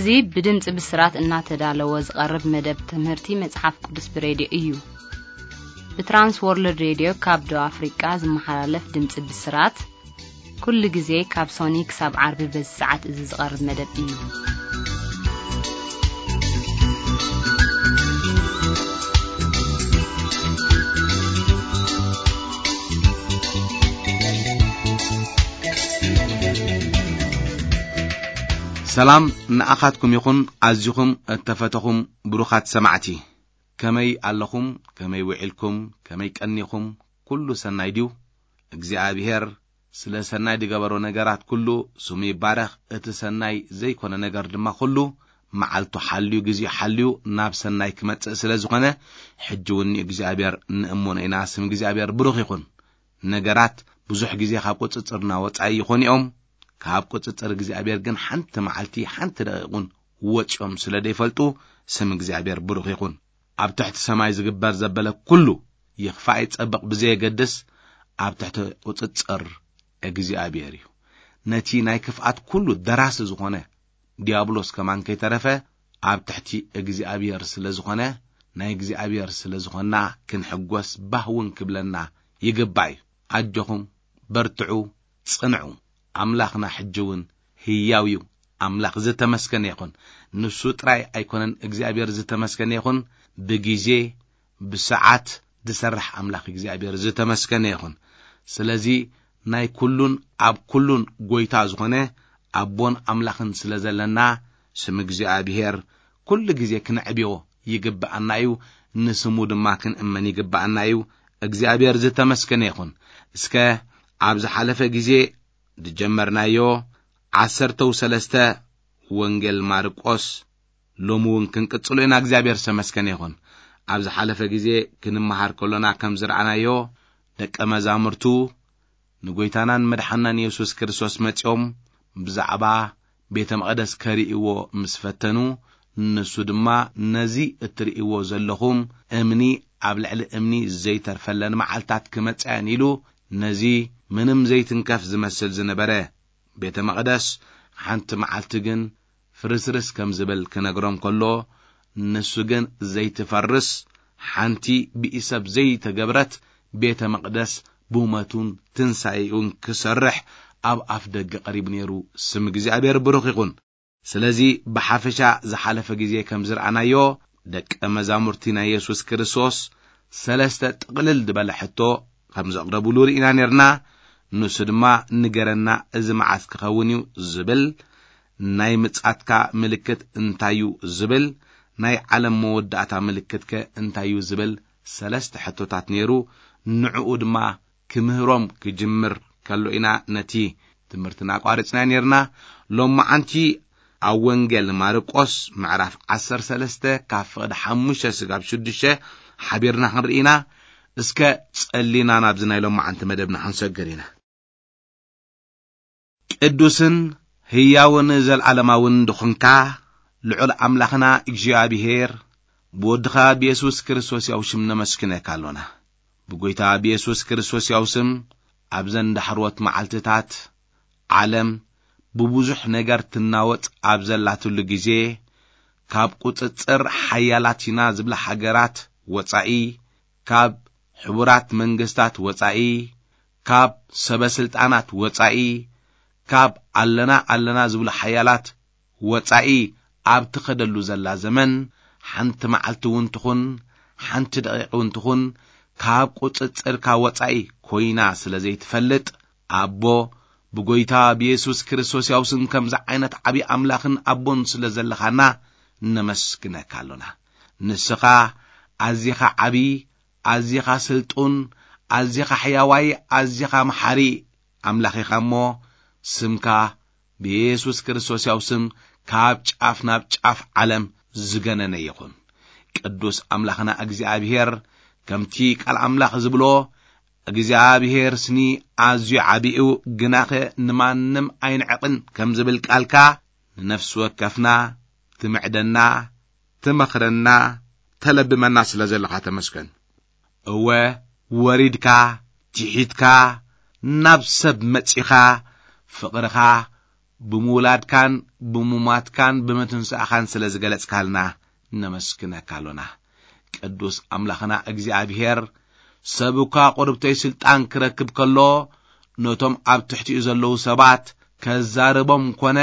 እዚ ብድምፂ ብስራት እናተዳለወ ዝቐርብ መደብ ትምህርቲ መጽሓፍ ቅዱስ ብሬድዮ እዩ። ብትራንስ ወርልድ ሬድዮ ካብ ደቡብ ኣፍሪቃ ዝመሓላለፍ ድምፂ ብስራት፣ ኩሉ ግዜ ካብ ሶኒ ክሳብ ዓርቢ በዚ ሰዓት እዚ ዝቐርብ መደብ እዩ። ሰላም ንኣኻትኩም ይኹን፣ ኣዚኹም እተፈተኹም ብሩኻት ሰማዕቲ። ከመይ ኣለኹም? ከመይ ውዒልኩም? ከመይ ቀኒኹም? ኩሉ ሰናይ ድዩ? እግዚኣብሔር ስለ ሰናይ ዝገበሮ ነገራት ኩሉ ስሙ ይባረኽ። እቲ ሰናይ ዘይኮነ ነገር ድማ ኩሉ መዓልቱ ሓልዩ፣ ግዜኡ ሓልዩ ናብ ሰናይ ክመጽእ ስለ ዝኾነ፣ ሕጂ እውን ንእግዚኣብሔር ንእመኖ ኢና። ስም እግዚኣብሔር ብሩኽ ይኹን። ነገራት ብዙሕ ግዜ ካብ ቁጽጽርና ወጻኢ ይኾኑ እዮም። ካብ ቁጽጽር እግዚኣብሔር ግን ሓንቲ መዓልቲ፣ ሓንቲ ደቂቕ እውን ወጺኦም ስለ ዘይፈልጡ፣ ስም እግዚኣብሔር ብሩኽ ይኹን። ኣብ ትሕቲ ሰማይ ዝግበር ዘበለ ኩሉ ይኽፋእ ይጸብቕ ብዘየገድስ፣ ኣብ ትሕቲ ቁጽጽር እግዚኣብሔር እዩ። ነቲ ናይ ክፍኣት ኩሉ ደራሲ ዝኾነ ዲያብሎስ ከማን ከይተረፈ ኣብ ትሕቲ እግዚኣብሔር ስለ ዝኾነ፣ ናይ እግዚኣብሔር ስለ ዝኾንና ክንሕጎስ ባህ እውን ክብለና ይግባእ እዩ። ኣጆኹም፣ በርትዑ፣ ጽንዑ። ኣምላኽና ሕጂ እውን ህያው እዩ። ኣምላኽ ዝተመስገነ ይኹን። ንሱ ጥራይ ኣይኮነን እግዚኣብሔር ዝተመስገነ ይኹን። ብግዜ፣ ብሰዓት ዝሰርሕ ኣምላኽ እግዚኣብሔር ዝተመስገነ ይኹን። ስለዚ ናይ ኩሉን ኣብ ኩሉን ጎይታ ዝኾነ ኣቦን ኣምላኽን ስለ ዘለና፣ ስም እግዚኣብሔር ኩሉ ግዜ ክነዕብዮ ይግብኣና እዩ። ንስሙ ድማ ክንእመን ይግብኣና እዩ። እግዚኣብሔር ዝተመስገነ ይኹን። እስከ ኣብ ዝሓለፈ ግዜ ዝጀመርናዮ ዓሰርተው ሰለስተ ወንጌል ማርቆስ ሎሚ እውን ክንቅጽሎ ኢና። እግዚኣብሔር ዝተመስገነ ይኹን። ኣብ ዝሓለፈ ግዜ ክንመሃር ከሎና ከም ዝረኣናዮ፣ ደቀ መዛሙርቱ ንጎይታናን መድሓናን የሱስ ክርስቶስ መጺኦም ብዛዕባ ቤተ መቕደስ ከርእይዎ ምስ ፈተኑ፣ ንሱ ድማ፣ "ነዚ እትርእይዎ ዘለኹም እምኒ ኣብ ልዕሊ እምኒ ዘይተርፈለን መዓልታት ክመጻ እየን" ኢሉ፣ ነዚ ምንም ዘይትንከፍ ዝመስል ዝነበረ ቤተ መቕደስ ሓንቲ መዓልቲ ግን ፍርስርስ ከም ዝብል ክነግሮም ከሎ፣ ንሱ ግን ዘይትፈርስ ሓንቲ ብኢሰብ ዘይተገብረት ቤተ መቕደስ ብሞቱን ትንሳኤኡን ክሰርሕ ኣብ ኣፍ ደገ ቀሪቡ ነይሩ። ስም እግዚኣብሔር ብሩኽ ይኹን። ስለዚ ብሓፈሻ ዝሓለፈ ግዜ ከም ዝረኣናዮ፣ ደቀ መዛሙርቲ ናይ የሱስ ክርስቶስ ሰለስተ ጥቕልል ዝበለ ሕቶ ከም ዘቕረብሉ ርኢና ነርና። ንሱ ድማ፣ "ንገረና፣ እዚ መዓስ ክኸውን እዩ?" ዝብል፣ "ናይ ምጻትካ ምልክት እንታይ እዩ?" ዝብል፣ "ናይ ዓለም መወዳእታ ምልክትከ እንታይ እዩ?" ዝብል ሰለስተ ሕቶታት ነይሩ። ንዕኡ ድማ ክምህሮም ክጅምር ከሎ ኢና ነቲ ትምህርትና ኣቋሪጽና ነርና። ሎማዓንቲ ኣብ ወንጌል ማርቆስ ምዕራፍ ዓሰርተ ሰለስተ ካብ ፍቕዲ ሓሙሽተ ስጋብ ሽዱሽተ ሓቢርና ክንርኢ ኢና። እስከ ጸሊና ናብዚ ናይ ሎማዓንቲ መደብና ክንሰግር ኢና። ቅዱስን ህያውን ዘልዓለማውን ድኹንካ ልዑል ኣምላኽና እግዚኣብሔር፣ ብወድኻ ብየሱስ ክርስቶስ ያው ሽም ነመስግነካ ኣሎና። ብጎይታ ብየሱስ ክርስቶስ ያው ስም ኣብዘን ዳሕሮት መዓልትታት ዓለም ብብዙሕ ነገር ትናወጽ ኣብ ዘላትሉ ግዜ፣ ካብ ቁጽጽር ሓያላት ኢና ዝብላ ሃገራት ወጻኢ፣ ካብ ሕቡራት መንግስታት ወጻኢ፣ ካብ ሰበ ስልጣናት ወጻኢ፣ ካብ ኣለና ኣለና ዝብሉ ሓያላት ወጻኢ ኣብ ትኸደሉ ዘላ ዘመን፣ ሓንቲ መዓልቲ እውን ትኹን፣ ሓንቲ ደቂቕ እውን ትኹን፣ ካብ ቁጽጽርካ ወጻኢ ኮይና ስለ ዘይትፈልጥ፣ ኣቦ፣ ብጎይታ ብየሱስ ክርስቶስ ያው ስም ከምዚ ዓይነት ዓቢ ኣምላኽን ኣቦን ስለ ዘለኻና፣ ነመስግነካ ኣሎና። ንስኻ ኣዚኻ ዓቢ፣ ኣዚኻ ስልጡን፣ ኣዚኻ ሕያዋይ፣ ኣዚኻ መሓሪ ኣምላኽ ኢኻ እሞ፣ ስምካ ብየሱስ ክርስቶስ ያው ስም ካብ ጫፍ ናብ ጫፍ ዓለም ዝገነነ ይኹን። ቅዱስ ኣምላኽና እግዚኣብሔር፣ ከምቲ ቃል ኣምላኽ ዝብሎ፣ "እግዚኣብሔር ስኒ ኣዝዩ ዓቢ እዩ፣ ግናኸ ንማንም ኣይንዕቕን" ከም ዝብል ቃልካ፣ ንነፍሲ ወከፍና ትምዕደና፣ ትመኽረና፣ ተለብመና ስለ ዘለኻ ተመስገን። እወ፣ ወሪድካ፣ ትሒትካ፣ ናብ ሰብ መጺኻ፣ ፍቕርኻ ብምውላድካን ብምማትካን ብምትንሳእኻን ስለ ዝገለጽካልና ነመስግነካ ኣሎና። ቅዱስ ኣምላኽና እግዚኣብሔር፣ ሰብ እኳ ቁርብተይ ስልጣን ክረክብ ከሎ፣ ነቶም ኣብ ትሕቲኡ ዘለዉ ሰባት ከዛርቦም ኮነ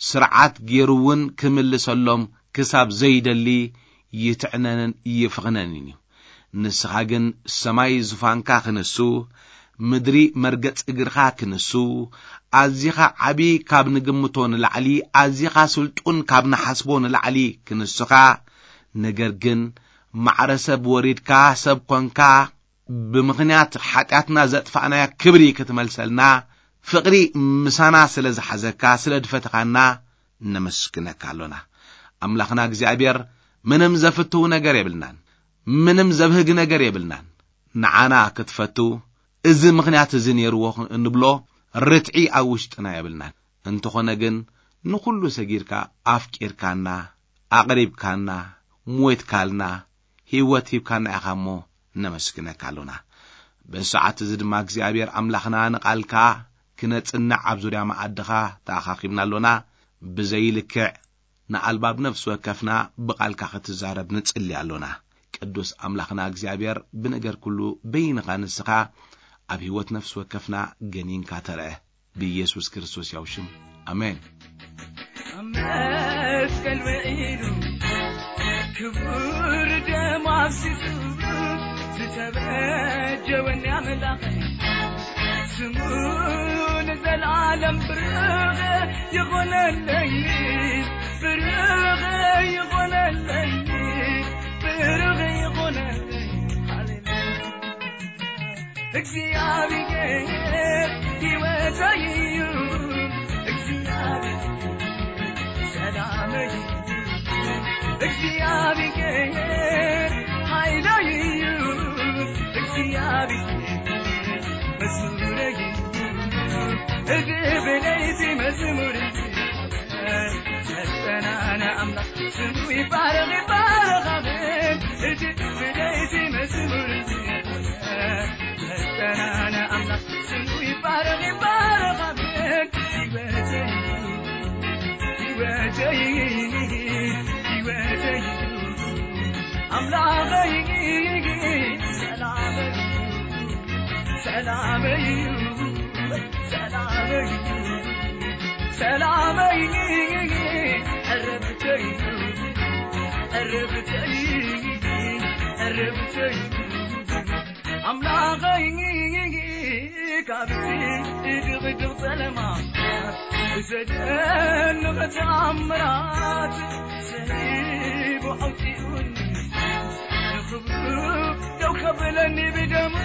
ስርዓት ገይሩ እውን ክምልሰሎም ክሳብ ዘይደሊ ይትዕነንን ይፍኽነንን እዩ። ንስኻ ግን ሰማይ ዙፋንካ ክንሱ፣ ምድሪ መርገጽ እግርኻ ክንሱ፣ ኣዚኻ ዓቢ ካብ ንግምቶ ንላዕሊ፣ ኣዚኻ ስልጡን ካብ ንሓስቦ ንላዕሊ ክንሱኻ፣ ነገር ግን ማዕረ ሰብ ወሪድካ ሰብ ኮንካ፣ ብምኽንያት ሓጢኣትና ዘጥፋእናያ ክብሪ ክትመልሰልና፣ ፍቕሪ ምሳና ስለ ዝሓዘካ፣ ስለ ድፈተኻና፣ ነመስግነካ ኣሎና። ኣምላኽና እግዚኣብሔር፣ ምንም ዘፍትው ነገር የብልናን፣ ምንም ዘብህግ ነገር የብልናን። ንዓና ክትፈቱ፣ እዚ ምኽንያት እዚ ነይርዎ እንብሎ ርትዒ ኣብ ውሽጥና የብልናን። እንተኾነ ግን፣ ንኹሉ ሰጊድካ፣ ኣፍቂርካና፣ ኣቕሪብካና፣ ሞይትካልና፣ ህይወት ሂብካና ኢኻ እሞ፣ ነመስግነካ ኣሎና። በዚ ሰዓት እዚ ድማ እግዚኣብሔር ኣምላኽና ንቓልካ ክነጽንዕ ኣብ ዙርያ መኣድኻ ተኣኻኺብና ኣሎና። ብዘይልክዕ ንኣልባብ ነፍሲ ወከፍና ብቓልካ ክትዛረብ ንጽሊ ኣሎና። ቅዱስ ኣምላኽና እግዚኣብሔር ብነገር ኩሉ በይንኻ ንስኻ ኣብ ህይወት ነፍሲ ወከፍና ገኒንካ ተርአ። ብኢየሱስ ክርስቶስ ያው ሽም ኣሜን። ኣብ መስቀል ውዒሉ ክቡር ደሙ ኣፍሲሱ ዝተበጀወኒ ኣምላኸይ፣ ስሙ ንዘለዓለም ብሩኽ ይኾነለይ፣ ብሩኽ ይኾነለይ፣ ብሩኽ ይኾነለይ። ሃሌሉያ። እግዚኣብሔር ህይወተይ እዩ። እግዚኣብሔር ሰላመይ እዩ። እግዚኣብሔር ሓይለይ እዩ። እግዚኣብሔር መዝሙረይ እዩ። እዚ ብለይቲ መዝሙር እዩ። መጠናና ኣምላኽ ስሙ ይባረኽ፣ ይባረኽ፣ ኣሜን። እቲ ብለይቲ መዝሙር መጠናና ኣምላኽ ስሙ ይባረኽ፣ ይባረኽ፣ ኣሜን። ህይወተይ፣ ህይወተይ፣ ህይወተይ፣ ኣምላኸይ፣ ሰላመይ፣ ሰላመይ፣ ሰላመይ፣ ሰላመይ፣ ዕረፍተይ፣ ዕረፍተይ፣ ዕረፍተይ፣ ኣምላኸይ፣ ካብቲ ድቕድቕ ጸለማ ብዘደንቕ ተኣምራት ሰሊቡ ኣውጺኡኒ። ንኽብሩ ደው ከብለኒ ብደሙ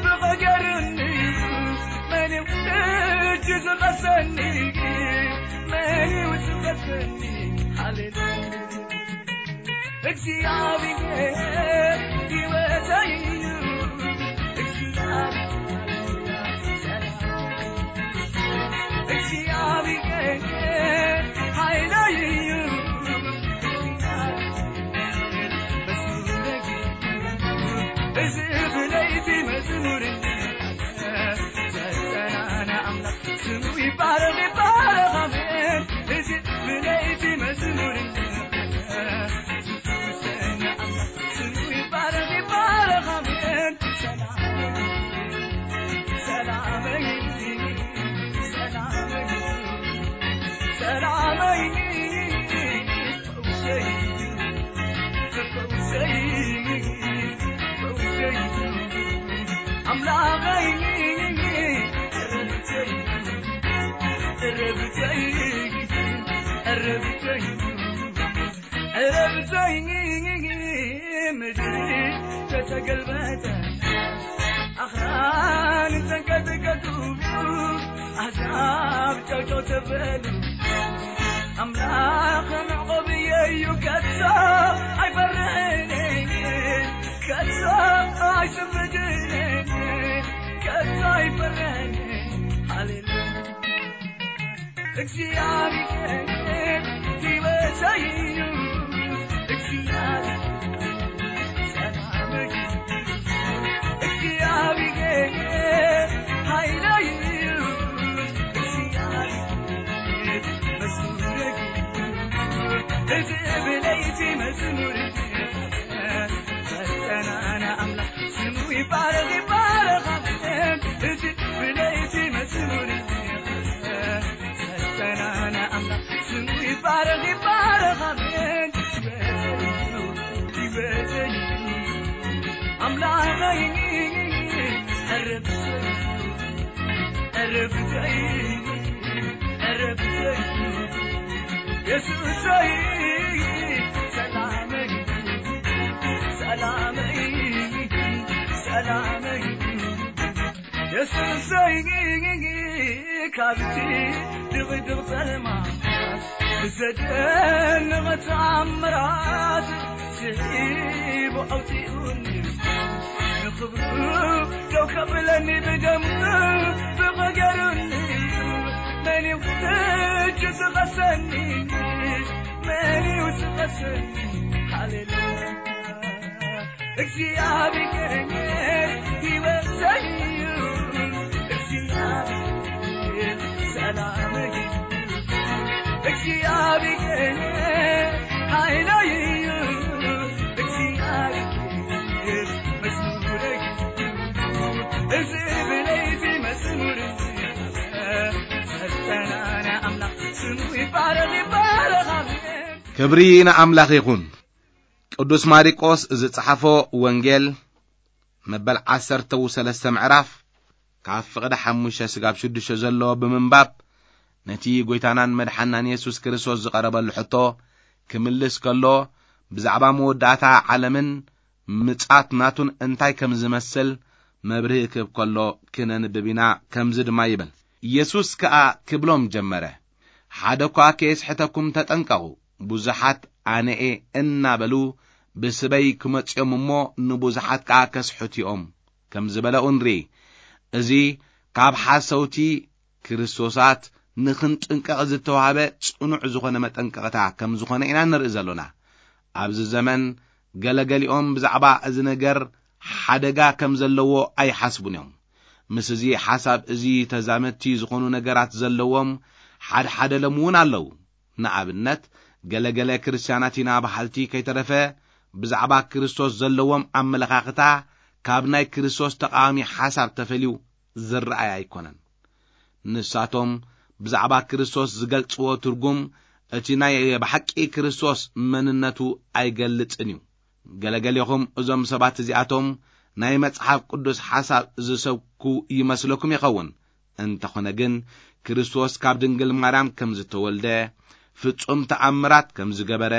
ብቐገርኒ። መን እዩ ሕጂ ዝኸሰኒ? መን እዩ ዝኸሰኒ? ሃሌሉያ። እግዚኣብሔር ህይወተይ እዩ። እግዚኣብሔር፣ እግዚኣብሔር ሓይለይ እዩ። እግዚኣብሔር መዝሙረይ እዩ። እዚ ብለይቲ መዝሙር እዩ። ዘጸናና ኣምላኽ ስሙ ይባረኽ፣ ይባረኽ፣ ኣሜን። እዚ ብለይቲ መዝሙር ዝፍውሰና ኣምላኽ ስሙ ይባረኽ፣ ይባረኽ፣ ኣሜን። ሰላመይ፣ ሰላመይ፣ ሰላመይ፣ ፈውሰይ፣ ፈውሰይ፣ ፈውሰይ፣ ኣምላኸይ፣ ዕረፍተይ፣ ዕረፍተይ፣ ዕረፍተይ፣ ዕረፍተይ፣ ምድሪ ተተገልበጠ፣ ኣኽራን ተንቀጥቀጡ፣ ኣሕዛብ ጨውጨው ተበሉ። ኣምላኽ መዕቆብየይ እዩ፣ ከቶ ኣይፈርሕን፣ ከቶ ኣይስንብድን፣ ከቶ ኣይፈርሕን። ሃሌሉያ። እግዚኣብሔር ህይወተይ እዩ። እግዚኣብሔር ሰላመይ እዩ። እግዚኣብሔር ሓይለይ እዩ። እግዚኣብሔር ዕረፍተይ፣ ዕረፍተይ፣ የሱሰይ፣ ሰላመይ፣ ሰላመይ፣ ሰላመይ፣ የሱሰይ፣ ካብቲ ድቕድቕ ጸልማት ብዘደንቕ ተኣምራት ስሒቡ ኣውጺኡኒ። ንኽብሩ ደው ከብለኒ ብደሙ ብቐገሩኒ። መን እዩ ሕጂ ዝኸሰኒ? መን እዩ ዝኸሰኒ? ሃሌሉያ። እግዚኣብሔር ህይወተይ እዩ። እግዚኣብሔር ሰላመይ እዩ። እግዚኣብሔር ሓይለይ እዩ። እግዚኣብሔር መዝሙረይ እዩ። እዚ ብለይ እዚ መዝሙር እዚ ዘጸናንዕ ኣምላኽ ስሙ ይባረኽ፣ ይባረኽ። ኣሜን። ክብሪ ንኣምላኽ ይኹን። ቅዱስ ማሪቆስ ዝጸሓፎ ወንጌል መበል ዓሰርተ ሰለስተ ምዕራፍ ካብ ፍቕዲ ሓሙሽተ ስጋብ ሽዱሽተ ዘሎ ብምንባብ ነቲ ጐይታናን መድሓናን የሱስ ክርስቶስ ዝቐረበሉ ሕቶ ክምልስ ከሎ ብዛዕባ መወዳእታ ዓለምን ምጻት ናቱን እንታይ ከም ዝመስል መብርሂ ክህብ ከሎ ክነንብብ ኢና። ከምዚ ድማ ይብል፣ ኢየሱስ ከኣ ክብሎም ጀመረ፣ ሓደ እኳ ከየስሕተኩም ተጠንቀቑ። ብዙሓት ኣነኤ እናበሉ ብስመይ ክመጹ እዮም እሞ ንብዙሓት ከኣ ከስሕቱ እዮም ከም ዝበለ እውን ርኢ። እዚ ካብ ሓሰውቲ ክርስቶሳት ንኽንጥንቀቕ ዝተዋህበ ጽኑዕ ዝኾነ መጠንቀቕታ ከም ዝኾነ ኢና ንርኢ ዘሎና። ኣብዚ ዘመን ገለገሊኦም ብዛዕባ እዚ ነገር ሓደጋ ከም ዘለዎ ኣይሓስቡን እዮም። ምስ እዚ ሓሳብ እዚ ተዛመድቲ ዝኾኑ ነገራት ዘለዎም ሓድሓደ ሎም እውን ኣለዉ። ንኣብነት፣ ገለገለ ክርስትያናት ኢና በሃልቲ ከይተረፈ ብዛዕባ ክርስቶስ ዘለዎም ኣመለኻኽታ ካብ ናይ ክርስቶስ ተቓዋሚ ሓሳብ ተፈልዩ ዝረኣይ ኣይኮነን። ንሳቶም ብዛዕባ ክርስቶስ ዝገልጽዎ ትርጉም እቲ ናይ ብሓቂ ክርስቶስ መንነቱ ኣይገልጽን እዩ። ገለገሌኹም እዞም ሰባት እዚኣቶም ናይ መጽሓፍ ቅዱስ ሓሳብ ዝሰብኩ ይመስለኩም ይኸውን። እንተኾነ ግን ክርስቶስ ካብ ድንግል ማርያም ከም ዝተወልደ፣ ፍጹም ተኣምራት ከም ዝገበረ፣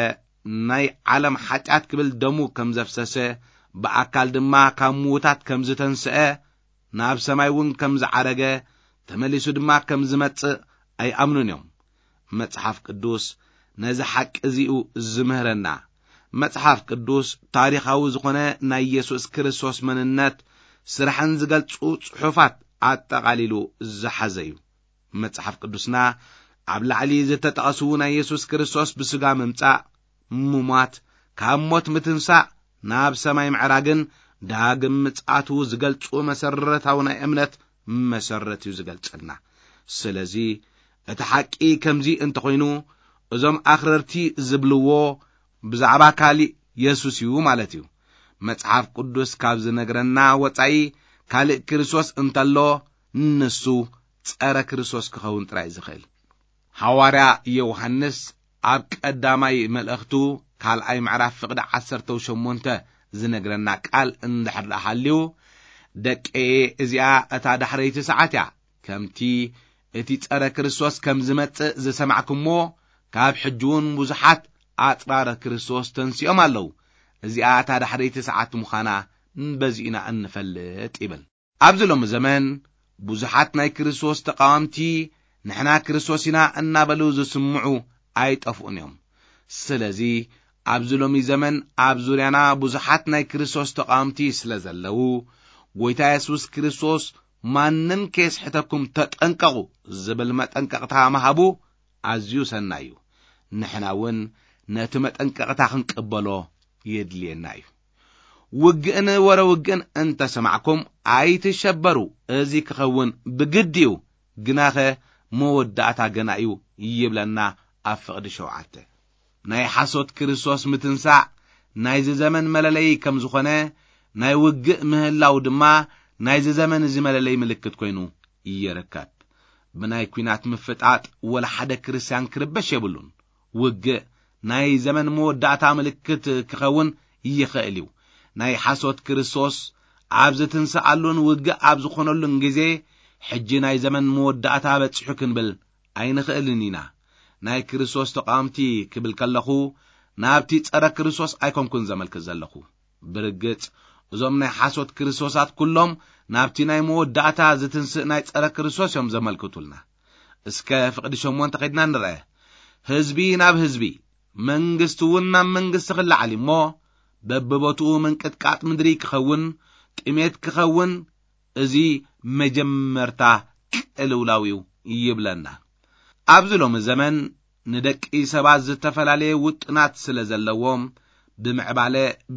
ናይ ዓለም ሓጢኣት ክብል ደሙ ከም ዘፍሰሰ፣ ብኣካል ድማ ካብ ምዉታት ከም ዝተንስአ፣ ናብ ሰማይ እውን ከም ዝዓረገ፣ ተመሊሱ ድማ ከም ዝመጽእ ኣይኣምኑን እዮም። መጽሓፍ ቅዱስ ነዚ ሓቂ እዚኡ ዝምህረና። መጽሓፍ ቅዱስ ታሪኻዊ ዝኾነ ናይ የሱስ ክርስቶስ መንነት፣ ስራሕን ዝገልጹ ጽሑፋት ኣጠቓሊሉ ዝሓዘ እዩ። መጽሓፍ ቅዱስና ኣብ ላዕሊ ዝተጠቐሱ ናይ የሱስ ክርስቶስ ብስጋ ምምጻእ፣ ምሟት፣ ካብ ሞት ምትንሳእ፣ ናብ ሰማይ ምዕራግን ዳግም ምጽኣቱ ዝገልጹ መሰረታዊ ናይ እምነት መሰረት እዩ ዝገልጸልና። ስለዚ እቲ ሓቂ ከምዚ እንተኾይኑ፣ እዞም ኣኽረርቲ ዝብልዎ ብዛዕባ ካሊእ የሱስ እዩ ማለት እዩ። መጽሓፍ ቅዱስ ካብ ዝነግረና ወጻኢ ካልእ ክርስቶስ እንተሎ፣ ንሱ ጸረ ክርስቶስ ክኸውን ጥራይ ዝኽእል። ሃዋርያ ዮሃንስ ኣብ ቀዳማይ መልእኽቱ ካልኣይ ምዕራፍ ፍቕዲ ዓሰርተ ሸሞንተ ዝነግረና ቃል እንድሕር ደኣ ሃልዩ፣ ደቀየ፣ እዚኣ እታ ዳሕረይቲ ሰዓት እያ። ከምቲ እቲ ጸረ ክርስቶስ ከም ዝመጽእ ዝሰማዕኩምዎ፣ ካብ ሕጂ እውን ብዙሓት ኣጽራረ ክርስቶስ ተንሲኦም ኣለዉ። እዚኣ እታ ዳሕረይቲ ሰዓት ምዃና በዚ ኢና እንፈልጥ ይብል። ኣብዚ ሎሚ ዘመን ብዙሓት ናይ ክርስቶስ ተቓወምቲ ንሕና ክርስቶስ ኢና እናበሉ ዝስምዑ ኣይጠፍኡን እዮም። ስለዚ ኣብዚ ሎሚ ዘመን ኣብ ዙርያና ብዙሓት ናይ ክርስቶስ ተቓወምቲ ስለ ዘለዉ፣ ጐይታ የሱስ ክርስቶስ ማንም ከየስሕተኩም ተጠንቀቑ ዝብል መጠንቀቕታ ምሃቡ ኣዝዩ ሰናይ እዩ። ንሕና እውን ነቲ መጠንቀቕታ ክንቅበሎ የድልየና እዩ። ውግእን ወረ ውግእን እንተሰማዕኩም ኣይትሸበሩ፣ እዚ ክኸውን ብግዲ እዩ፣ ግናኸ መወዳእታ ገና እዩ ይብለና ኣብ ፍቕዲ ሸውዓተ። ናይ ሓሶት ክርስቶስ ምትንሳእ ናይዚ ዘመን መለለዪ ከም ዝኾነ፣ ናይ ውግእ ምህላው ድማ ናይዚ ዘመን እዚ መለለዪ ምልክት ኮይኑ ይርከብ። ብናይ ኲናት ምፍጣጥ ወላ ሓደ ክርስትያን ክርበሽ የብሉን። ውግእ ናይ ዘመን መወዳእታ ምልክት ክኸውን ይኽእል እዩ። ናይ ሓሶት ክርስቶስ ኣብ ዝትንስኣሉን ውግእ ኣብ ዝኾነሉን ግዜ ሕጂ ናይ ዘመን መወዳእታ በጺሑ ክንብል ኣይንኽእልን ኢና። ናይ ክርስቶስ ተቓወምቲ ክብል ከለኹ፣ ናብቲ ጸረ ክርስቶስ ኣይኮንኩን ዘመልክት ዘለኹ። ብርግጽ፣ እዞም ናይ ሓሶት ክርስቶሳት ኩሎም ናብቲ ናይ መወዳእታ ዝትንስእ ናይ ጸረ ክርስቶስ እዮም ዘመልክቱልና። እስከ ፍቕዲ ሸሞንተ ከይድና ንርአ። ህዝቢ ናብ ህዝቢ፣ መንግስቲ እውን ናብ መንግስቲ ክለዓል እሞ፣ በብቦትኡ ምንቅጥቃጥ ምድሪ ክኸውን፣ ጥሜት ክኸውን፣ እዚ መጀመርታ ቅልውላው እዩ ይብለና። ኣብዚ ሎሚ ዘመን ንደቂ ሰባት ዝተፈላለየ ውጥናት ስለ ዘለዎም፣ ብምዕባለ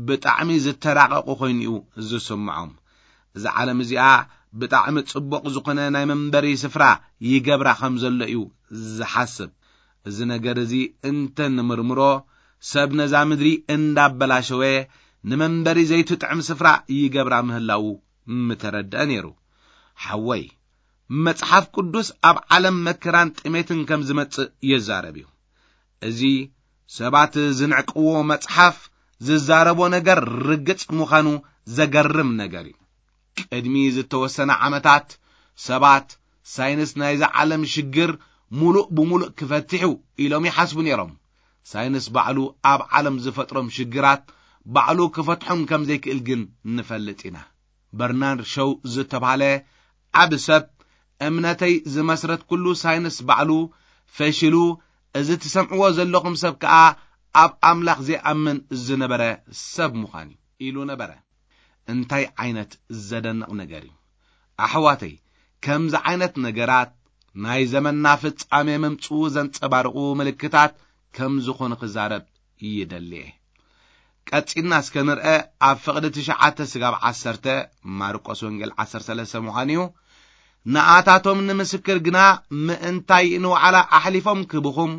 ብጣዕሚ ዝተራቐቑ ኮይኑ እዩ ዝስምዖም። እዛ ዓለም እዚኣ ብጣዕሚ ጽቡቕ ዝኾነ ናይ መንበሪ ስፍራ ይገብራ ከም ዘሎ እዩ ዝሓስብ። እዚ ነገር እዚ እንተ ንምርምሮ፣ ሰብ ነዛ ምድሪ እንዳበላሸወ ንመንበሪ ዘይትጥዕም ስፍራ ይገብራ ምህላዉ ምተረድአ ነይሩ። ሓወይ፣ መጽሓፍ ቅዱስ ኣብ ዓለም መከራን ጥሜትን ከም ዝመጽእ ይዛረብ እዩ። እዚ ሰባት ዝንዕቅዎ መጽሓፍ ዝዛረቦ ነገር ርግጽ ምዃኑ ዘገርም ነገር እዩ። ቅድሚ ዝተወሰነ ዓመታት ሰባት ሳይንስ ናይዛ ዓለም ሽግር ሙሉእ ብሙሉእ ክፈትሕ እዩ ኢሎም ይሓስቡ ነይሮም። ሳይንስ ባዕሉ ኣብ ዓለም ዝፈጥሮም ሽግራት ባዕሉ ክፈትሖም ከም ዘይክእል ግን ንፈልጥ ኢና። በርናርድ ሸው ዝተባህለ ዓቢ ሰብ፣ "እምነተይ ዝመስረትኩሉ ሳይንስ ባዕሉ ፈሽሉ፣ እዚ ትሰምዕዎ ዘለኹም ሰብ ከኣ ኣብ ኣምላኽ ዘይኣምን ዝነበረ ሰብ ምዃን እዩ" ኢሉ ነበረ። እንታይ ዓይነት ዘደንቕ ነገር እዩ! ኣሕዋተይ፣ ከምዚ ዓይነት ነገራት ናይ ዘመንና ፍጻሜ ምምጽኡ ዘንጸባርቑ ምልክታት ከም ዝኾኑ ክዛረብ ይደሊ እየ። ቀጺልና እስከ ንርአ፣ ኣብ ፍቕዲ ትሽዓተ ስጋብ ዓሰርተ፣ ማርቆስ ወንጌል ዓሰርተ ሰለስተ ምዃን እዩ። ንኣታቶም ንምስክር ግና ምእንታይ ንዋዕላ ኣሕሊፎም ክህብኹም፣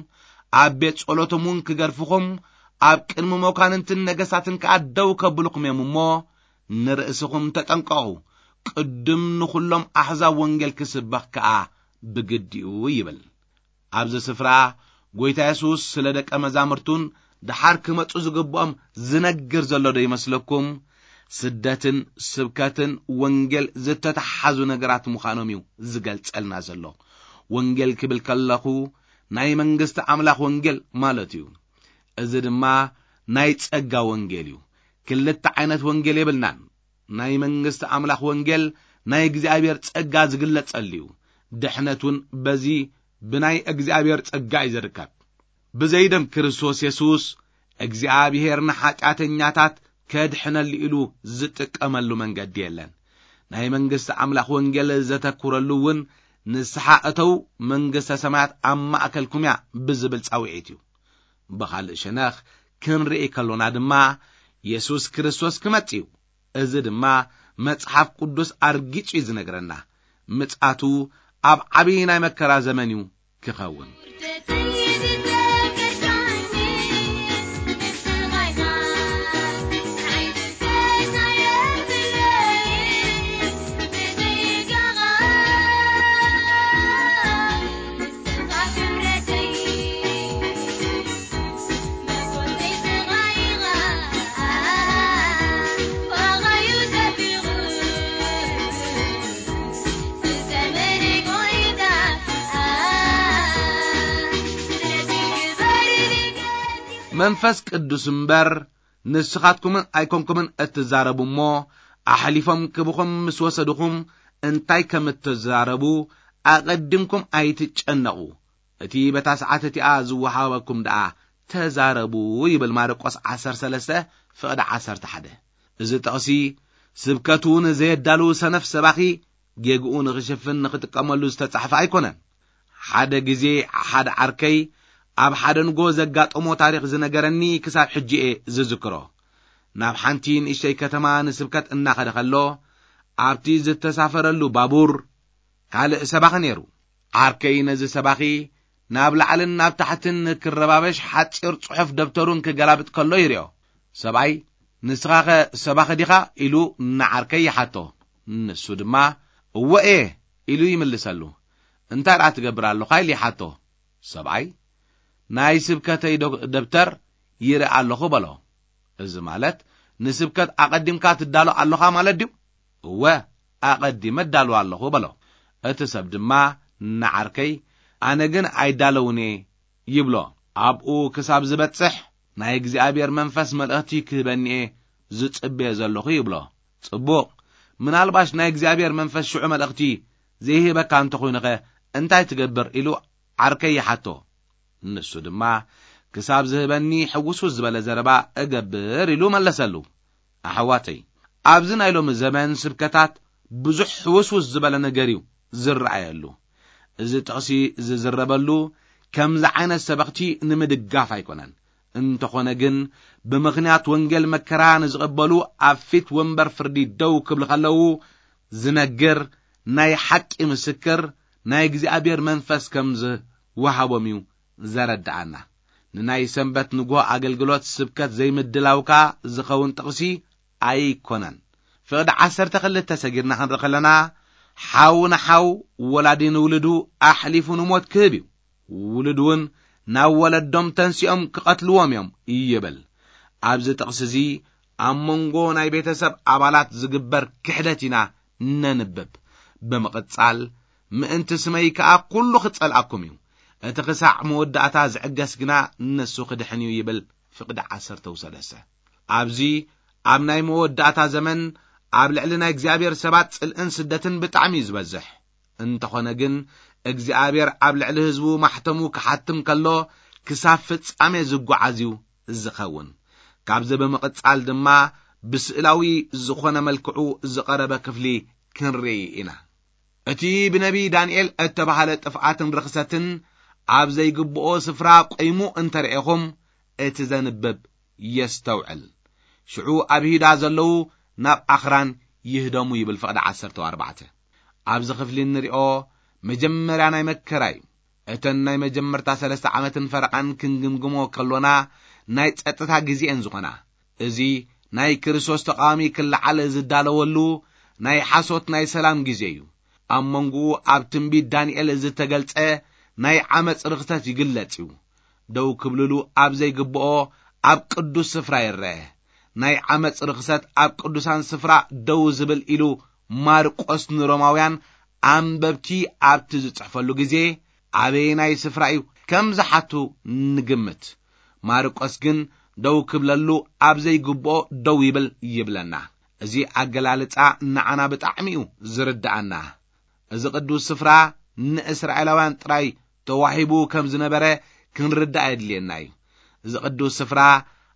ኣብ ቤት ጸሎቶም እውን ክገርፍኹም፣ ኣብ ቅድሚ መኳንንትን ነገሳትን ከኣ ደው ከብልኹም እዮም እሞ፣ ንርእስኹም ተጠንቀቑ፣ ቅድም ንኹሎም ኣሕዛብ ወንጌል ክስበኽ ከኣ ብግዲ እዩ ይብል። ኣብዚ ስፍራ ጐይታ የሱስ ስለ ደቀ መዛሙርቱን ደሓር ክመጹ ዝግብኦም ዝነግር ዘሎ ዶ ይመስለኩም? ስደትን ስብከትን ወንጌል ዝተተሓሓዙ ነገራት ምዃኖም እዩ ዝገልጸልና ዘሎ። ወንጌል ክብል ከለኹ ናይ መንግስቲ ኣምላኽ ወንጌል ማለት እዩ። እዚ ድማ ናይ ጸጋ ወንጌል እዩ። ክልተ ዓይነት ወንጌል የብልናን። ናይ መንግስቲ ኣምላኽ ወንጌል ናይ እግዚኣብሔር ጸጋ ዝግለጸሉ እዩ። ድሕነት እውን በዚ ብናይ እግዚኣብሔር ጸጋ እዩ ዝርከብ። ብዘይ ደም ክርስቶስ የሱስ እግዚኣብሔር ንሓጢኣተኛታት ከድሕነሉ ኢሉ ዝጥቀመሉ መንገዲ የለን። ናይ መንግስቲ ኣምላኽ ወንጌል ዘተኩረሉ እውን ንስሓ እተው መንግስተ ሰማያት ኣብ ማእከልኩም እያ ብዝብል ጻውዒት እዩ። ብኻልእ ሸነኽ ክንርኢ ከሎና ድማ የሱስ ክርስቶስ ክመጽእ እዩ። እዚ ድማ መጽሓፍ ቅዱስ ኣርጊጹ እዩ ዝነግረና። ምጽኣቱ ኣብ ዓብዪ ናይ መከራ ዘመን እዩ ክኸውን። መንፈስ ቅዱስ እምበር ንስኻትኩምን ኣይኮንኩምን እትዛረቡ እሞ፣ ኣሕሊፎም ክብኹም ምስ ወሰድኹም እንታይ ከም እትዛረቡ ኣቐዲምኩም ኣይትጨነቑ። እቲ በታ ሰዓት እቲኣ ዝወሃበኩም ደኣ ተዛረቡ ይብል ማርቆስ ዓሰርተ ሰለስተ ፍቕዲ ዓሰርተ ሓደ። እዚ ጥቕሲ ስብከቱ ንዘየዳሉ ሰነፍ ሰባኺ ጌግኡ ንኽሽፍን ንኽጥቀመሉ ዝተጻሕፈ ኣይኮነን። ሓደ ግዜ ሓደ ዓርከይ ኣብ ሓደ ንጎ ዘጋጠሞ ታሪኽ ዝነገረኒ ክሳብ ሕጂ እየ ዝዝክሮ። ናብ ሓንቲ ንእሽተይ ከተማ ንስብከት እናኸደ ከሎ ኣብቲ ዝተሳፈረሉ ባቡር ካልእ ሰባኺ ነይሩ። ዓርከይ ነዚ ሰባኺ ናብ ላዕልን ናብ ታሕትን ክረባበሽ ሓጺር ጽሑፍ ደብተሩን ክገላብጥ ከሎ ይርዮ። ሰብኣይ፣ "ንስኻኸ ሰባኺ ዲኻ?" ኢሉ ንዓርከይ ይሓቶ። ንሱ ድማ፣ "እወ እየ" ኢሉ ይምልሰሉ። "እንታይ ደኣ ትገብር ኣለኻ?" ኢሉ ይሓቶ። ሰብኣይ፣ "ናይ ስብከተይ ዶ-፣ ደብተር ይርኢ ኣለኹ" በሎ። እዚ ማለት ንስብከት ኣቐዲምካ ትዳሎ ኣለኻ ማለት ድዩ? "እወ፣ ኣቐዲመ እዳሎ ኣለኹ" በሎ። እቲ ሰብ ድማ ንዓርከይ፣ ኣነ ግን ኣይዳለውን እየ ይብሎ። ኣብኡ ክሳብ ዝበጽሕ ናይ እግዚኣብሔር መንፈስ መልእኽቲ ክህበኒ እየ ዝጽበየ ዘለኹ ይብሎ። ጽቡቕ፣ ምናልባሽ ናይ እግዚኣብሔር መንፈስ ሽዑ መልእኽቲ ዘይህበካ እንተኾይኑኸ እንታይ ትገብር ኢሉ ዓርከይ ይሓቶ። ንሱ ድማ ክሳብ ዝህበኒ ሕውስውስ ዝበለ ዘረባ እገብር ኢሉ መለሰሉ። ኣሕዋተይ፣ ኣብዚ ናይ ሎሚ ዘመን ስብከታት ብዙሕ ሕውስውስ ዝበለ ነገር እዩ ዝረኣየሉ። እዚ ጥቕሲ ዝዝረበሉ ከምዚ ዓይነት ሰበኽቲ ንምድጋፍ ኣይኮነን። እንተኾነ ግን ብምኽንያት ወንጌል መከራ ንዝቕበሉ ኣብ ፊት ወንበር ፍርዲ ደው ክብሉ ከለዉ ዝነግር ናይ ሓቂ ምስክር ናይ እግዚኣብሔር መንፈስ ከም ዝወሃቦም እዩ ዘረድኣና። ንናይ ሰንበት ንግሆ ኣገልግሎት ስብከት ዘይምድላውካ ዝኸውን ጥቕሲ ኣይኮነን። ፍቕዲ ዓሰርተ ክልተ ሰጊርና ክንርኢ ከለና፣ ሓው ንሓው፣ ወላዲ ንውልዱ ኣሕሊፉ ንሞት ክህብ እዩ። ውሉድ እውን ናብ ወለዶም ተንሲኦም ክቐትልዎም እዮም ይብል። ኣብዚ ጥቕሲ እዚ ኣብ መንጎ ናይ ቤተሰብ ኣባላት ዝግበር ክሕደት ኢና ነንብብ። ብምቕጻል፣ ምእንቲ ስመይ ከኣ ኩሉ ክጸልኣኩም እዩ፣ እቲ ክሳዕ መወዳእታ ዝዕገስ ግና ንሱ ክድሕን እዩ ይብል ፍቕዲ ዓሰርተ ሰለስተ። ኣብዚ ኣብ ናይ መወዳእታ ዘመን ኣብ ልዕሊ ናይ እግዚኣብሔር ሰባት ጽልእን ስደትን ብጣዕሚ እዩ ዝበዝሕ። እንተኾነ ግን እግዚኣብሔር ኣብ ልዕሊ ህዝቡ ማሕተሙ ክሓትም ከሎ ክሳብ ፍጻሜ ዝጓዓዝ እዩ ዝኸውን። ካብዚ ብምቕጻል ድማ ብስእላዊ ዝኾነ መልክዑ ዝቐረበ ክፍሊ ክንርኢ ኢና። እቲ ብነቢ ዳንኤል እተባህለ ጥፍኣትን ርኽሰትን ኣብ ዘይግብኦ ስፍራ ቆይሙ እንተርኤኹም፣ እቲ ዘንብብ የስተውዕል። ሽዑ ኣብ ይሁዳ ዘለዉ ናብ ኣኽራን ይህደሙ ይብል ፍቕዲ ዓሰርተ ኣርባዕተ። ኣብዚ ክፍሊ እንሪኦ መጀመርያ ናይ መከራ እዩ። እተን ናይ መጀመርታ ሰለስተ ዓመትን ፈረቓን ክንግምግሞ ከሎና ናይ ጸጥታ ግዜኤን ዝኾና፣ እዚ ናይ ክርስቶስ ተቓዋሚ ክለዓል ዝዳለወሉ ናይ ሓሶት ናይ ሰላም ግዜ እዩ። ኣብ መንጎኡ ኣብ ትንቢት ዳንኤል ዝተገልጸ ናይ ዓመፅ ርኽሰት ይግለጽ እዩ። ደው ክብልሉ ኣብ ዘይግብኦ ኣብ ቅዱስ ስፍራ ይረአ። ናይ ዓመፅ ርኽሰት ኣብ ቅዱሳን ስፍራ ደው ዝብል ኢሉ ማርቆስ ንሮማውያን ኣንበብቲ ኣብቲ ዝጽሕፈሉ ግዜ ኣበየናይ ስፍራ እዩ ከም ዝሓቱ ንግምት። ማርቆስ ግን ደው ክብለሉ ኣብ ዘይግብኦ ደው ይብል ይብለና። እዚ ኣገላልጻ ንዓና ብጣዕሚ እዩ ዝርድኣና። እዚ ቅዱስ ስፍራ ንእስራኤላውያን ጥራይ ተዋሂቡ ከም ዝነበረ ክንርዳእ የድልየና እዩ። እዚ ቅዱስ ስፍራ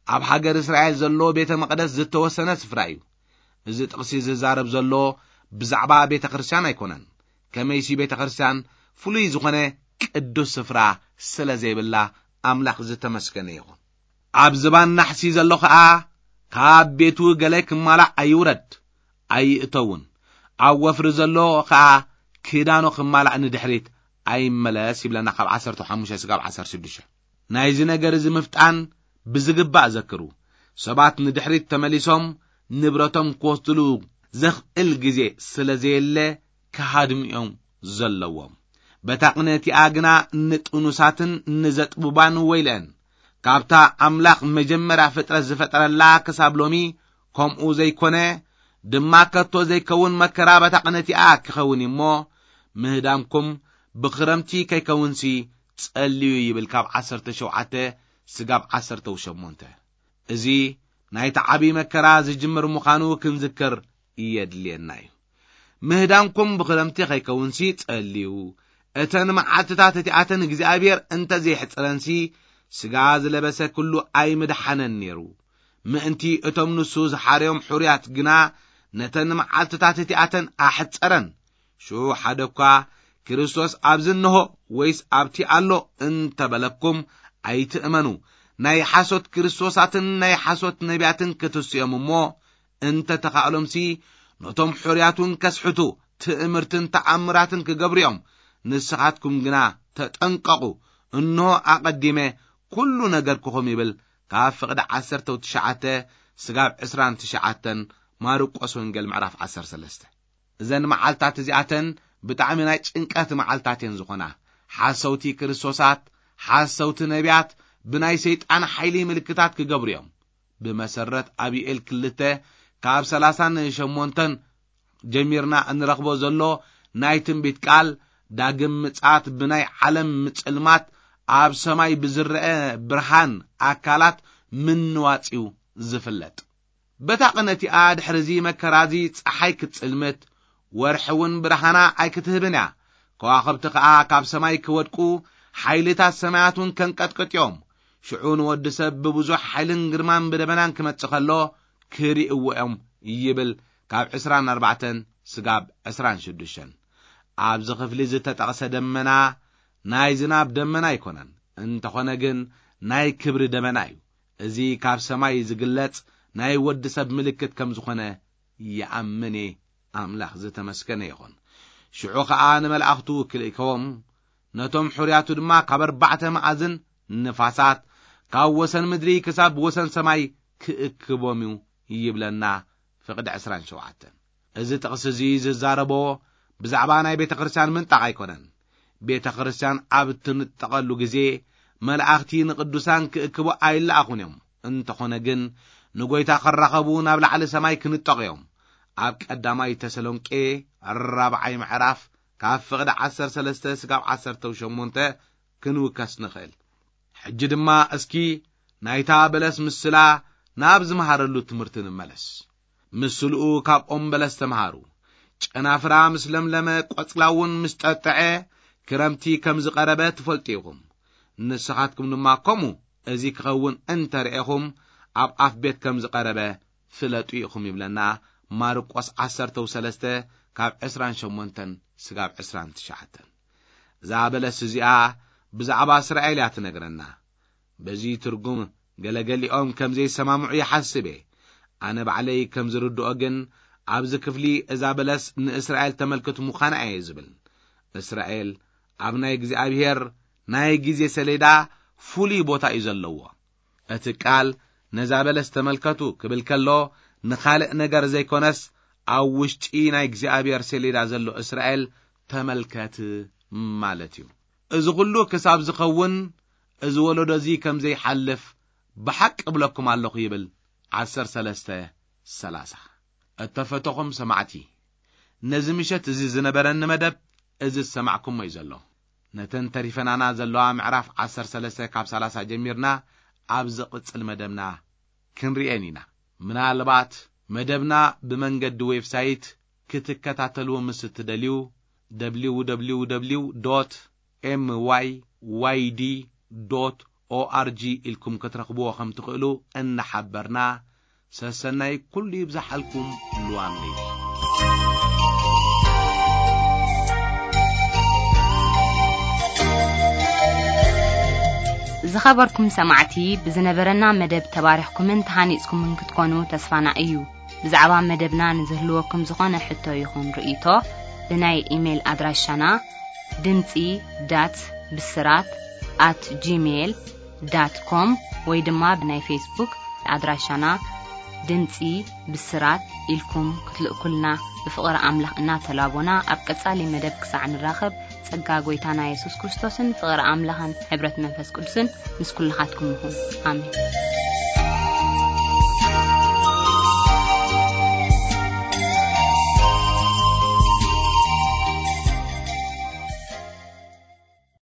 ኣብ ሃገር እስራኤል ዘሎ ቤተ መቕደስ ዝተወሰነ ስፍራ እዩ። እዚ ጥቕሲ ዝዛረብ ዘሎ ብዛዕባ ቤተ ክርስቲያን ኣይኮነን። ከመይሲ ቤተ ክርስቲያን ፍሉይ ዝኾነ ቅዱስ ስፍራ ስለ ዘይብላ ኣምላኽ ዝተመስገነ ይኹን። ኣብ ዝባን ናሕሲ ዘሎ ኸኣ ካብ ቤቱ ገለ ክማላእ ኣይውረድ ኣይእተውን። ኣብ ወፍሪ ዘሎ ኸኣ ክዳኖ ክማላእ ንድሕሪት ኣይመለስ ይብለና ካብ ዓሰርተ ሓሙሽተ ስጋብ ዓሰርተ ሽዱሽተ። ናይዚ ነገር እዚ ምፍጣን ብዝግባእ ዘክሩ። ሰባት ንድሕሪት ተመሊሶም ንብረቶም ክወስድሉ ዘኽእል ግዜ ስለ ዘየለ ክሃድሙ እዮም ዘለዎም። በታ ቅነቲኣ ግና ንጥኑሳትን ንዘጥቡባን ወይልአን። ካብታ ኣምላኽ መጀመርያ ፍጥረት ዝፈጠረላ ክሳብ ሎሚ ከምኡ ዘይኮነ ድማ ከቶ ዘይከውን መከራ በታ ቅነቲኣ ክኸውን እዩ እሞ፣ ምህዳምኩም ብኽረምቲ ከይከውንሲ ጸልዩ ይብል ካብ ዓሰርተ ሸውዓተ ስጋብ ዓሰርተ ሸሞንተ። እዚ ናይቲ ዓብዪ መከራ ዝጅምር ምዃኑ ክንዝክር የድልየና እዩ። ምህዳምኩም ብኽረምቲ ከይከውንሲ ጸልዩ። እተን መዓልትታት እቲኣተን እግዚኣብሔር እንተ ዘይሕጽረንሲ፣ ስጋ ዝለበሰ ኩሉ ኣይምድሓነን ነይሩ። ምእንቲ እቶም ንሱ ዝሓረዮም ሕሩያት ግና ነተን መዓልትታት እቲኣተን ኣሕጸረን። ሽዑ ሓደ እኳ ክርስቶስ ኣብዚ እንሆ ወይስ ኣብቲ ኣሎ እንተበለኩም ኣይትእመኑ። ናይ ሓሶት ክርስቶሳትን ናይ ሓሶት ነቢያትን ክትስዮም እሞ እንተ ተኻእሎምሲ ነቶም ሕሩያት እውን ከስሕቱ ትእምርትን ተኣምራትን ክገብሩ እዮም። ንስኻትኩም ግና ተጠንቀቑ። እንሆ ኣቐዲመ ኩሉ ነገርኩኹም ይብል ካብ ፍቕዲ ዓሰርተ ትሽዓተ ስጋብ ዕስራን ትሽዓተን ማርቆስ ወንጌል ምዕራፍ ዓሰርተ ሰለስተ። እዘን መዓልታት እዚኣተን ብጣዕሚ ናይ ጭንቀት መዓልታት እየን ዝኾና። ሓሰውቲ ክርስቶሳት፣ ሓሰውቲ ነቢያት ብናይ ሰይጣን ሓይሊ ምልክታት ክገብሩ እዮም። ብመሰረት ኣብ ዩኤል ክልተ ካብ ሰላሳን ሸሞንተን ጀሚርና እንረኽቦ ዘሎ ናይ ትንቢት ቃል ዳግም ምጽኣት ብናይ ዓለም ምጽልማት ኣብ ሰማይ ብዝረአ ብርሃን ኣካላት ምንዋጽ እዩ ዝፍለጥ። በታ ቅነቲኣ ድሕርዚ መከራዚ ጸሓይ ክትጽልምት፣ ወርሒ እውን ብርሃና ኣይክትህብን እያ። ከዋኽብቲ ከኣ ካብ ሰማይ ክወድቁ፣ ሓይልታት ሰማያት እውን ከንቀጥቅጥ እዮም። ሽዑ ንወዲ ሰብ ብብዙሕ ሓይልን ግርማን ብደበናን ክመጽእ ከሎ ክርእይዎ እዮም ይብል ካብ ዕስራን ኣርባዕተን ስጋብ ዕስራን ሽዱሽተን። ኣብዚ ክፍሊ ዝተጠቕሰ ደመና ናይ ዝናብ ደመና ኣይኮነን፣ እንተኾነ ግን ናይ ክብሪ ደመና እዩ። እዚ ካብ ሰማይ ዝግለጽ ናይ ወዲ ሰብ ምልክት ከም ዝኾነ ይኣምን እየ። ኣምላኽ ዝተመስገነ ይኹን። ሽዑ ኸኣ ንመላእኽቱ ክልእከዎም፣ ነቶም ሕሩያቱ ድማ ካብ ኣርባዕተ መኣዝን ንፋሳት፣ ካብ ወሰን ምድሪ ክሳብ ወሰን ሰማይ ክእክቦም እዩ ይብለና ፍቕዲ ዕስራን ሸውዓተን። እዚ ጥቕሲ እዚ ዝዛረቦ ብዛዕባ ናይ ቤተ ክርስቲያን ምንጣቕ ኣይኮነን። ቤተ ክርስቲያን ኣብ እትንጠቐሉ ግዜ መላእኽቲ ንቅዱሳን ክእክቡ ኣይለኣኹን እዮም። እንተኾነ ግን ንጎይታ ክራኸቡ ናብ ላዕሊ ሰማይ ክንጠቑ እዮም። ኣብ ቀዳማይ ተሰሎንቄ ራብዓይ ምዕራፍ ካብ ፍቕዲ ዓሰርተ ሰለስተ ስጋብ ዓሰርተ ሸሞንተ ክንውከስ ንኽእል። ሕጂ ድማ እስኪ ናይታ በለስ ምስላ ናብ ዝመሃረሉ ትምህርቲ ንመለስ። ምስልኡ ካብ ኦም በለስ ተምሃሩ። ጨናፍራ ምስ ለምለመ፣ ቆጽላ እውን ምስ ጠጥዐ፣ ክረምቲ ከም ዝቐረበ ትፈልጡ ኢኹም። ንስኻትኩም ድማ ከምኡ እዚ ክኸውን እንተ ርኤኹም፣ ኣብ ኣፍ ቤት ከም ዝቐረበ ፍለጡ ኢኹም ይብለና ማርቆስ ዓሰርተ ሰለስተ ካብ ዕስራን ሸሞንተን ስጋብ ዕስራን ትሽዓተን። እዛ በለስ እዚኣ ብዛዕባ እስራኤል እያ ትነግረና። በዚ ትርጉም ገለገሊኦም ከም ዘይሰማምዑ ይሓስብ እየ። ኣነ ባዕለይ ከም ዝርድኦ ግን ኣብዚ ክፍሊ እዛ በለስ ንእስራኤል ተመልክት ምዃና እየ ዝብል። እስራኤል ኣብ ናይ እግዚኣብሔር ናይ ግዜ ሰሌዳ ፍሉይ ቦታ እዩ ዘለዎ። እቲ ቃል ነዛ በለስ ተመልከቱ ክብል ከሎ ንኻልእ ነገር ዘይኮነስ ኣብ ውሽጢ ናይ እግዚኣብሔር ሰሌዳ ዘሎ እስራኤል ተመልከት ማለት እዩ። እዚ ኩሉ ክሳብ ዝኸውን እዚ ወለዶ እዚ ከም ዘይሓልፍ ብሓቂ እብለኩም ኣለኹ ይብል። ዓሰርተ ሰለስተ ሰላሳ። እተፈተኹም ሰማዕቲ፣ ነዚ ምሸት እዚ ዝነበረኒ መደብ እዚ ዝሰማዕኩሞ እዩ ዘሎ። ነተን ተሪፈናና ዘለዋ ምዕራፍ ዓሰርተ ሰለስተ ካብ ሰላሳ ጀሚርና ኣብ ዝቕጽል መደብና ክንርእየን ኢና። ምናልባት መደብና ብመንገዲ ዌብሳይት ክትከታተልዎ ምስ እትደልዩ፣ ደብሊው ደብሊው ደብሊው ዶት ኤም ዋይ ዋይ ዲ ዶት ኦ ኣር ጂ ኢልኩም ክትረኽብዎ ከም ትኽእሉ እናሓበርና፣ ሰሰናይ ኩሉ ይብዛሓልኩም። ሉዋም ለይቲ። ዝኸበርኩም ሰማዕቲ፣ ብዝነበረና መደብ ተባሪኽኩምን ተሃኒጽኩምን ክትኮኑ ተስፋና እዩ። ብዛዕባ መደብና ንዝህልወኩም ዝኾነ ሕቶ ይኹን ርእይቶ፣ ብናይ ኢሜይል ኣድራሻና ድምጺ ዳት ብስራት ኣት ጂሜይል ዳት ኮም ወይ ድማ ብናይ ፌስቡክ ኣድራሻና ድምጺ ብስራት ኢልኩም ክትልእኩልና ብፍቕሪ ኣምላኽ እናተላቦና፣ ኣብ ቀጻሊ መደብ ክሳዕ ንራኸብ፣ ጸጋ ጐይታና የሱስ ክርስቶስን ፍቕሪ ኣምላኽን ሕብረት መንፈስ ቅዱስን ምስ ኩልኻትኩም ይኹን። ኣሜን።